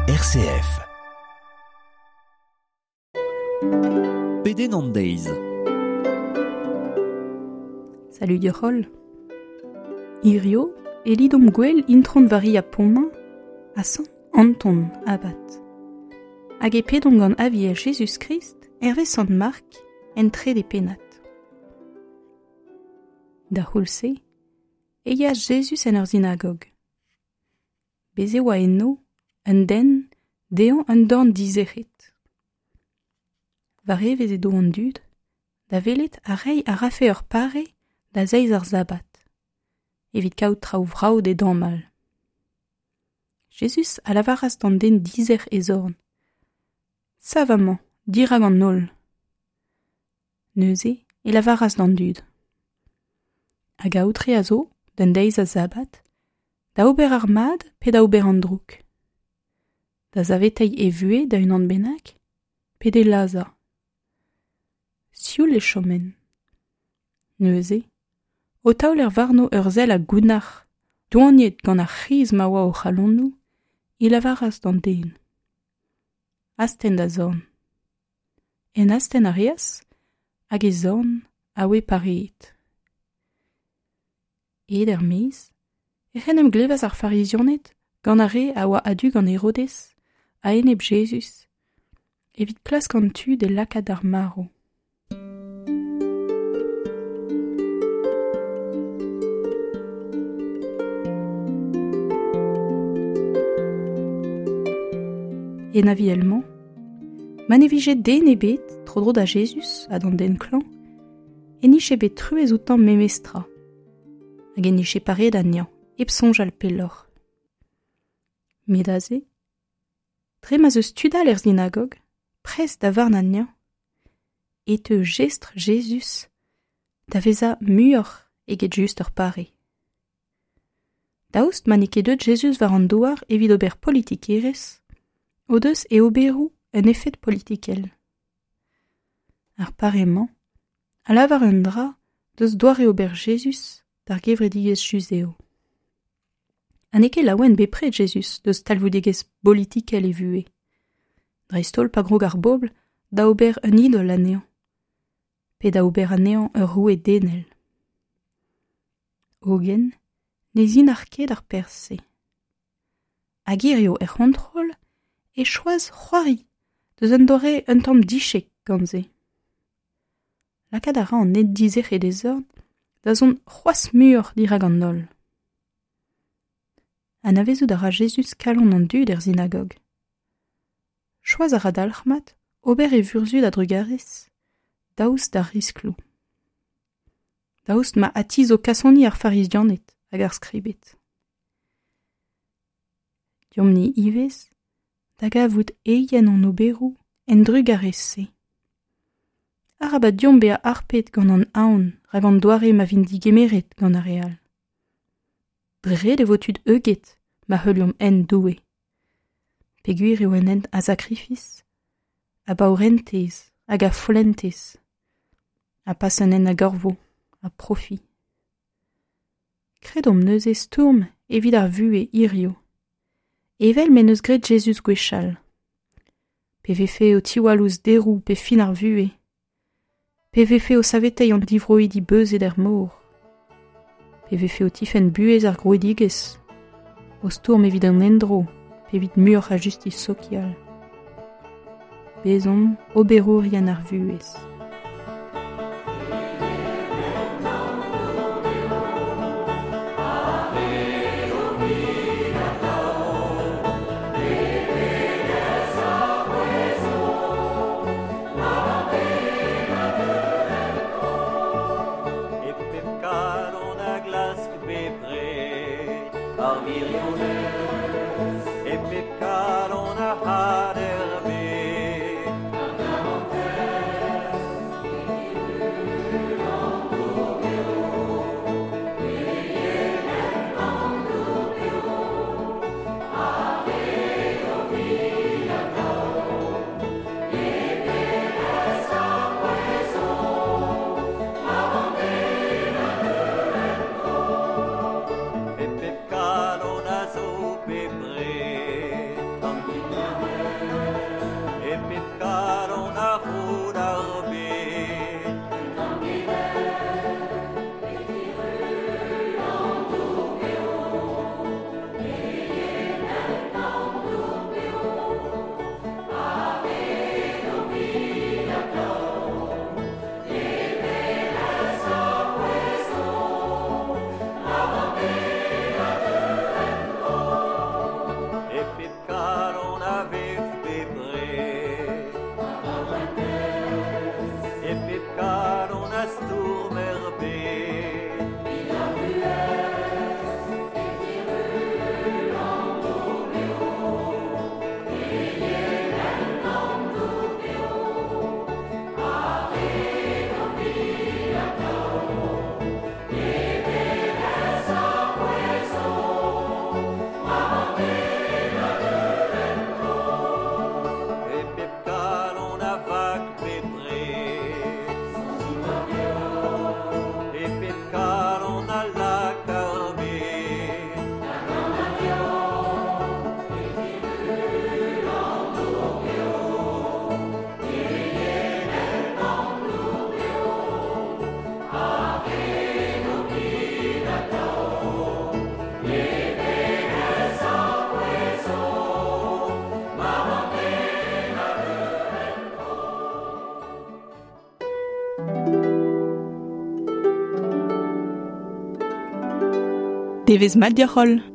RCF. Pedenn an deiz. Salut deoc'h-holl. Hirio e lidomp gwell Intron Varia Pontmain ha Sant Anton Abad. Hag e pedomp gant Aviel Jezuz-Krist hervez Sant Mark en trede pennad. Da c'houlz-se e yeas Jezuz en ur sinagog. Bez' e oa eno un den dezhañ un dorn dizec'het. War evezh edo an dud da welet ha reiñ a rafe ur pare da zeiz ar sabad, evit kaout traoù vrav d'e damall. Jezuz a lavaras d'an den dizec'h e zorn: Sav amañ, dirak an holl. Neuze e lavaras d'an dud: Hag aotre a zo, d'an deiz a sabad, da ober ar mad pe da ober an droug? Da saveteiñ e vuhez da unan bennak pe d'e lazhañ? Sioul e choment. Neuze, o taoler warno ur sell a gounnar, doaniet gant ar c'hriz ma oa o c'halonoù, e lavaras d'an den: Astenn da zorn. En astenn a reas, hag e zorn a oe pareet. Aet er-maez, ec'h en em glevas ar Farizianed gant ar re a oa a-du gant Herodez a-enep Jezuz evit klask an tu d'e lakaat d'ar marv. En aviel-mañ, ma ne vije den ebet tro-dro da Jezuz ha d'an den klañv, e nije bet truez outañ memestra, hag e nije pareet anezhañ hep soñjal pelloc'h. Met aze, dre ma'z eus tud all er sinagog, prest da varn anezhañ, e teu jestr Jezuz da vezañ muioc'h eget just ur pare. Daoust ma n'eo ket deuet Jezuz war an douar evit ober politikerezh, o deus e oberoù un efed politikel. Ar pare-mañ a lavar un dra deus doare-ober Jezuz d'ar gevredigezh yuzev. Ha n'eo ket laouen bepred Jezuz deus talvoudegezh bolitikel e vuhez, dreist-holl pa grog ar bobl da ober un idol anezhañ, pe da ober anezhañ ur roue denel. Hogen ne zinac'h ket ar perzh-se. Hag hiziv er c'hontrol e choaz c'hoari deus un doare un tamm dichek gant se. Lakaat a ra an ned dizec'het e zorn da zont c'hoazh muioc'h dirak an holl. Anavezout a ra Jezuz kalon an dud er sinagog. Choaz a ra dalc'hmat ober e vurzhud a-drugarez, daoust d'ar riskloù. Daoust ma atizo kasoni ar Farizianed hag ar skribed. Deomp-ni ivez da gavout eien hon oberoù en drugarez-se. Arabat deomp bezañ harpet gant an aon rak an doare ma vint digemeret gant ar re all. Dre ret e vo tud heuget ma heuliomp hent Doue. Peogwir eo un hent a sakrifis, a baourentez hag a follentez, ha pas un hent a gorvo, a profi. Kredomp neuze stourm evit ar vuhez hiziv, evel m'en deus graet Jezuz gwechall. Pe vefe o tiwall ouzh deroù pe fin ar vuhez, pe vefe o saveteiñ an divroidi beuzet er mor, pe vefe o tifenn buhez ar grouidigezh, o stourm evit an endro pe evit muioc'h a justis sokial. Bezomp oberourien ar vuhez. E pep kalon a glask bepred ar wirionez, e pep kalon a had er bed. Devezh mat deoc'h holl.